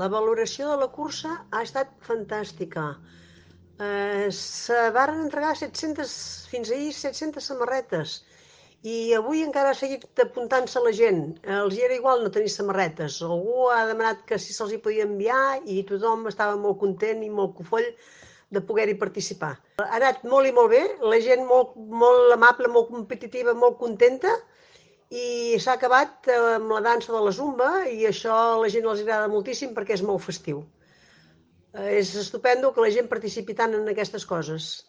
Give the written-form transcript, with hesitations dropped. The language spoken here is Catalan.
La valoració de la cursa ha estat fantàstica. Se varen entregar 700, fins ahir 700 samarretes i avui encara ha seguit apuntant-se la gent. Els hi era igual no tenir samarretes. Algú ha demanat que si se'ls hi podia enviar i tothom estava molt content i molt cofoll de poder-hi participar. Ha anat molt i molt bé, la gent molt, molt amable, molt competitiva, molt contenta i s'ha acabat amb la dansa de la zumba i això a la gent els agrada moltíssim perquè és molt festiu. És estupendo que la gent participi tant en aquestes coses.